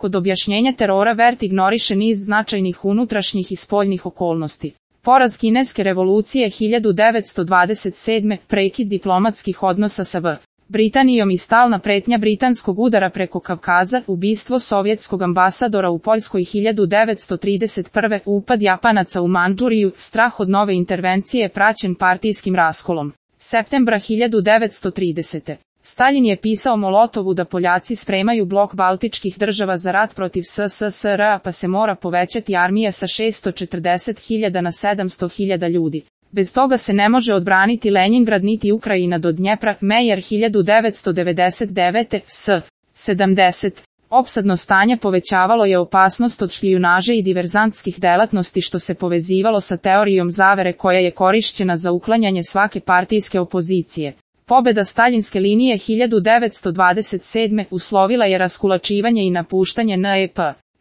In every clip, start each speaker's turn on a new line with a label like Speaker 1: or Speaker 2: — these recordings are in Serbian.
Speaker 1: Kod objašnjenja terora Wert ignoriše niz značajnih unutrašnjih i spoljnih okolnosti. Poraz kineske revolucije 1927. Prekid diplomatskih odnosa sa Britanijom i stalna pretnja britanskog udara preko Kavkaza, ubistvo sovjetskog ambasadora u Poljskoj 1931. Upad Japanaca u Mandžuriju, strah od nove intervencije praćen partijskim raskolom. Septembra 1930. Staljin je pisao Molotovu da Poljaci spremaju blok baltičkih država za rat protiv SSSR-a pa se mora povećati armija sa 640.000 na 700.000 ljudi. Bez toga se ne može odbraniti Lenjingrad niti Ukrajina do Dnjepra. Mejer 1999. S. 70. Opsadno stanje povećavalo je opasnost od špijunaže i diverzantskih delatnosti što se povezivalo sa teorijom zavere koja je korišćena za uklanjanje svake partijske opozicije. Pobeda staljinske linije 1927. uslovila je raskulačivanje i napuštanje NEP.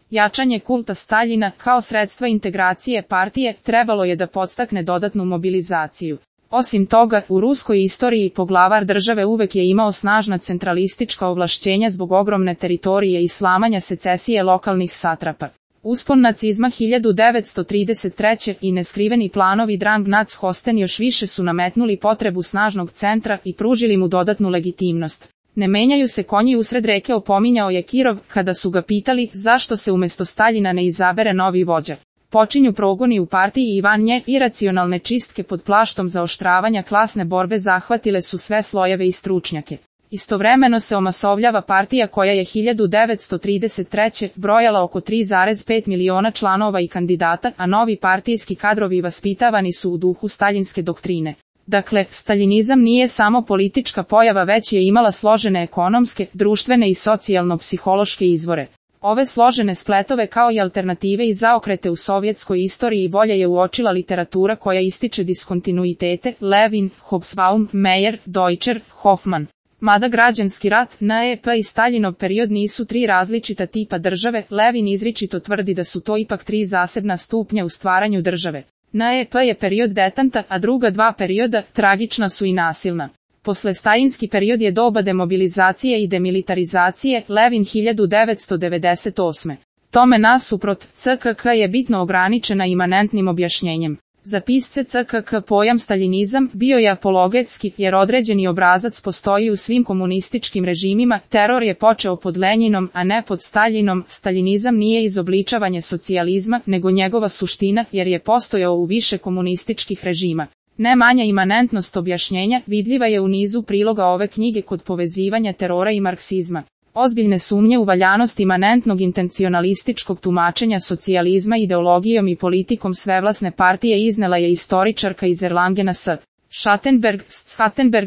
Speaker 1: Jačanje kulta Staljina kao sredstva integracije partije trebalo je da podstakne dodatnu mobilizaciju. Osim toga, u ruskoj istoriji poglavar države uvek je imao snažna centralistička ovlašćenja zbog ogromne teritorije i slamanja secesije lokalnih satrapa. Uspon nacizma 1933. i neskriveni planovi Drang Nac Hosten još više su nametnuli potrebu snažnog centra i pružili mu dodatnu legitimnost. Ne menjaju se konji usred reke, opominjao je Kirov, kada su ga pitali zašto se umjesto Staljina ne izabere novi vođa. Počinju progoni u partiji i van nje, iracionalne čistke pod plaštom zaoštravanja klasne borbe zahvatile su sve slojeve i stručnjake. Istovremeno se omasovljava partija koja je 1933. brojala oko 3,5 miliona članova i kandidata, a novi partijski kadrovi vaspitavani su u duhu staljinske doktrine. Dakle, staljinizam nije samo politička pojava, već je imala složene ekonomske, društvene i socijalno-psihološke izvore. Ove složene spletove kao i alternative i zaokrete u sovjetskoj istoriji bolje je uočila literatura koja ističe diskontinuitete, Levin, Hobsbawm, Meyer, Deutscher, Hoffman. Mada građanski rat, NEP i Staljinov period nisu tri različita tipa države, Levin izričito tvrdi da su to ipak tri zasebna stupnja u stvaranju države. NEP je period detanta, a druga dva perioda, tragična su i nasilna. Posle staljinski period je doba demobilizacije i demilitarizacije, Levin 1998. Tome nasuprot, CKK je bitno ograničena imanentnim objašnjenjem. Za pisce CKK pojam staljinizam bio je apologetski, jer određeni obrazac postoji u svim komunističkim režimima, teror je počeo pod Lenjinom, a ne pod Staljinom. Staljinizam nije izobličavanje socijalizma, nego njegova suština, jer je postojao u više komunističkih režima. Ne manja imanentnost objašnjenja vidljiva je u nizu priloga ove knjige kod povezivanja terora i marksizma. Ozbiljne sumnje u valjanost imanentnog intencionalističkog tumačenja socijalizma ideologijom i politikom svevlasne partije iznela je istoričarka iz Erlangena S. Schattenberg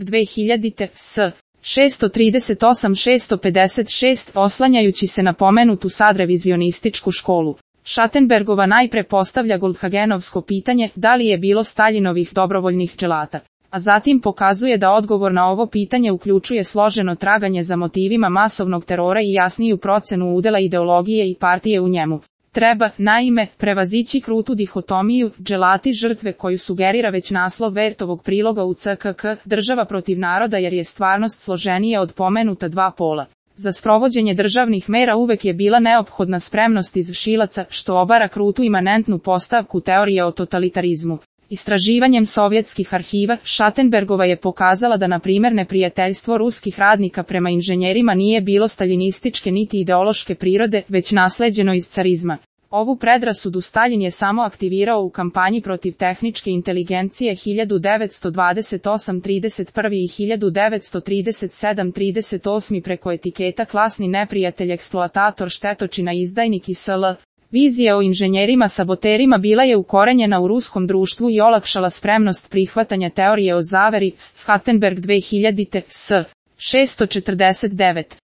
Speaker 1: 2000. S. 638-656, oslanjajući se na pomenutu sad revizionističku školu. Schattenbergova najpre postavlja Goldhagenovsko pitanje da li je bilo Staljinovih dobrovoljnih dželata, a zatim pokazuje da odgovor na ovo pitanje uključuje složeno traganje za motivima masovnog terora i jasniju procenu udela ideologije i partije u njemu. Treba, naime, prevazići krutu dihotomiju, dželati žrtve koju sugerira već naslov Wertovog priloga u CKK, država protiv naroda, jer je stvarnost složenija od pomenuta dva pola. Za sprovođenje državnih mera uvek je bila neophodna spremnost izvršilaca, što obara krutu imanentnu postavku teorije o totalitarizmu. Istraživanjem sovjetskih arhiva, Schattenbergova je pokazala da na primjer neprijateljstvo ruskih radnika prema inženjerima nije bilo staljinističke niti ideološke prirode, već nasleđeno iz carizma. Ovu predrasudu Staljin je samo aktivirao u kampanji protiv tehničke inteligencije 1928-31 i 1937-38 preko etiketa klasni neprijatelj, eksploatator, štetočina, izdajnik i sl. Vizija o inženjerima saboterima bila je ukorenjena u ruskom društvu i olakšala spremnost prihvatanja teorije o zaveri. Schattenberg 2000. S. 649.